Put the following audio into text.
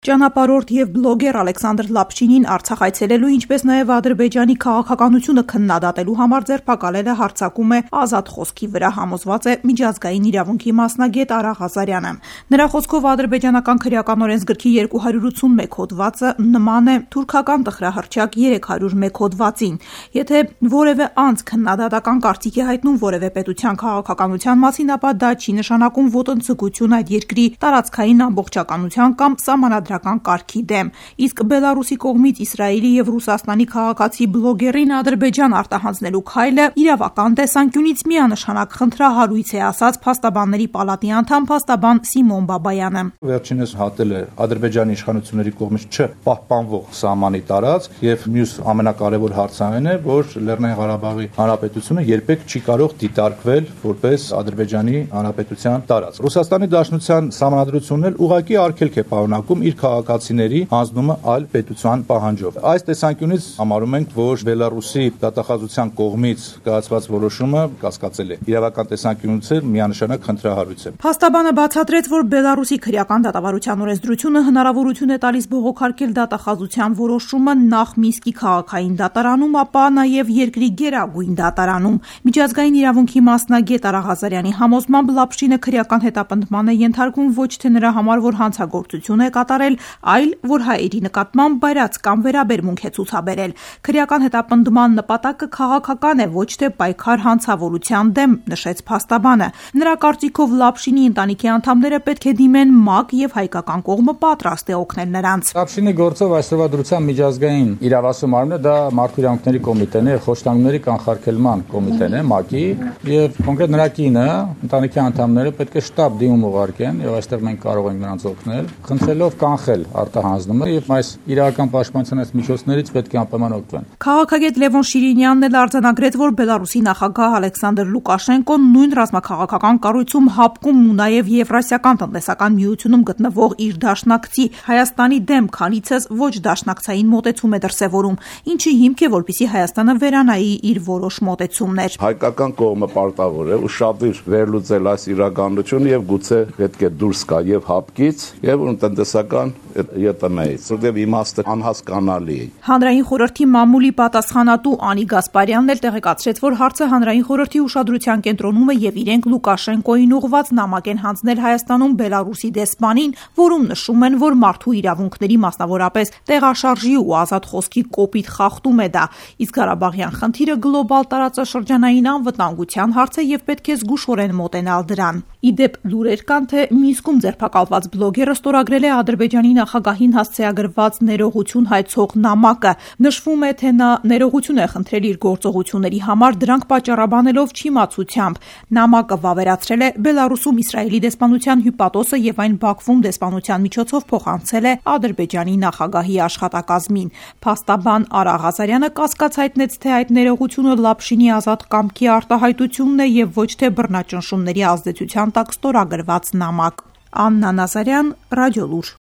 Ճանապարհորդ եւ բլոգեր Ալեքսանդր Լապշինին Արցախ այցելելու, ինչպես նաեւ Ադրբեջանի քաղաքականությունը քննադատելու համար ձերբակալել է հարձակում է ազատ խոսքի վրա, համոզված է միջազգային իրավունքի մասնագետ Արա Ղազարյանը։ Նրա խոսքով ադրբեջանական քրեական օրենսգրքի 281 հոդվածը նման է թուրքական տխրահռչակ 301 հոդվածին։ Եթե որևէ անձ քննադատական կարծիք է հայտնում որևէ պետության քաղաքականության մասին, ապա դա չի նշանակում ոտնձգություն այդ երկրի տարածքային ամբողջականության կամ սահմանադրական կարգի դեմ, իսկ Բելարուսի կողմից Իսրայելի եւ Ռուսաստանի քաղաքացի բլոգերին Ադրբեջան արտահանձնելու քայլը իրավական տեսանկյունից միանշանակ խնդրահարույց է, ասաց Փաստաբանների պալատի անդամ փաստաբան Սիմոն Բաբայանը։ Վերջինս հատել է Ադրբեջանի իշխանությունների կողմից չպահպանվող սահմանի տարածք եւ մյուս ամենակարևոր հարցը այն է, որ Լեռնային Ղարաբաղի Հանրապետությունը երբեք չի կարող դիտարկվել որպես Ադրբեջանի Հանրապետության տարածք։ Ռուսաստանի Դաշնության սահմանադրությունն էլ ուղղակի արգելք է պարունակում իր քաղաքացիների հանձնումը այլ պետության պահանջով։ Այս տեսանկյունից համարում ենք, որ Բելարուսի դատախազության կողմից կայացված որոշումը կասկածել է։ Իրավական տեսանկյունից միանշանակ խնդրահարույց է։ Փաստաբանը բացատրեց, որ Բելարուսի քրեական դատավարության օրենսդրությունը հնարավորություն է տալիս բողոքարկել դատախազության որոշումը նախ Մինսկի քաղաքային դատարանում, ապա նաև երկրի գերագույն դատարանում։ Միջազգային իրավունքի մասնագետ Արա Ղազարյանի համոզմամբ Լապշինը քրեական հետապնդման է ենթարկվում ոչ թե նրա համար, որ հանցագործություն է կատարել, այլ որ հայերի նկատմամբ բայրաց կամ վերաբերմունք է ցուցաբերել։ Քրեական հետապնդման նպատակը քաղաքական է, ոչ թե պայքար հանցավորության դեմ, նշեց փաստաբանը։ Նրա կարծիքով Լապշինի ընտանիքի անդամները պետք է դիմեն ՄԱԿ եւ հայկական կողմը պատրաստ է օգնել նրանց։ Լապշինի գործով այսօրվա դրության միջազգային իրավասու մարմինը դա Մարդու իրավունքների կոմիտեն է, խոշտանգների կանխարգելման կոմիտեն է, ՄԱԿ-ի, եւ կոնկրետ նրա կինը, ընտանիքի անդամները պետք է շտաբ դիմում ուղարկեն եւ այստեղ մենք կարող ենք նրանց օգնել, խնդրելով կանխել արտահանձնումը եւ այս իրական պաշտպանության այս միջոցներից պետք է անպայման օգտվեն։ Քաղաքագետ Լևոն Շիրինյանն էլ արձանագրեց, որ Բելարուսի նախագահ Ալեքսանդր Լուկաշենկոն նույն ռազմաքաղաքական կառույցում հապկում ու նաեւ Եվրասիական տնտեսական միությունում գտնվող իր դաշնակցի Հայաստանի դեմ քանիցս ոչ դաշնակցային մոտեցում է դրսևորում, ինչի հիմք է, որպեսզի Հայաստանը վերանայի իր որոշ մոտեցումներ։ Հայկական կողմը պարտավոր է ուշադիր վերլուծել այս իրականությունը եւ գուցե պետք է դուրս գա եւ հապկից եւ տնտեսական ԵՏՄ-ից, որտեղ իմաստը անհասկանալի է։ Հանրային խորհրդի մամուլի պատասխանատու Անի Գասպարյանն էլ տեղեկացրեց, որ հարցը հանրային խորհրդի ուշադրության կենտրոնում է եւ իրենք Լուկաշենկոին ուղղված նամակ են հանձնել Հայաստանում Բելարուսի դեսպանին, որում նշում են, որ մարդու իրավունքների, մասնավորապես տեղաշարժի ու ազատ խոսքի կոպիտ խախտում է դա, իսկ Ղարաբաղյան խնդիրը գլոբալ տարածաշրջանային անվտանգության հարց է եւ պետք է զգուշորեն մոտենալ դրան։ Իդեպ լուրեր կան, թե Մինսկում ձերբակալված բլոգերը ստորագրել է Ադրբեջանի նախագահին հասցեագրված ներողություն հայցող նամակը։ Նշվում է, թե նա ներողություն է խնդրել իր գործողությունների համար, դրանք պատճառաբանելով չիմացությամբ։ Նամակը վավերացրել է Բելարուսում Իսրայելի դեսպանության հյուպատոսը եւ այն Բաքվում դեսպանության միջոցով փոխանցել է Ադրբեջանի նախագահի աշխատակազմին։ Փաստաբան Արա Ղազարյանը կասկած հայտնեց, թե այդ ներողությունը Լապշինի ազատ կամքի արտահայտությունն է եւ ոչ թե բռնաճնշումների ազդեցության տակ ստորագրված նամակ։ Աննա Նազարյան, Ռադիոլուր։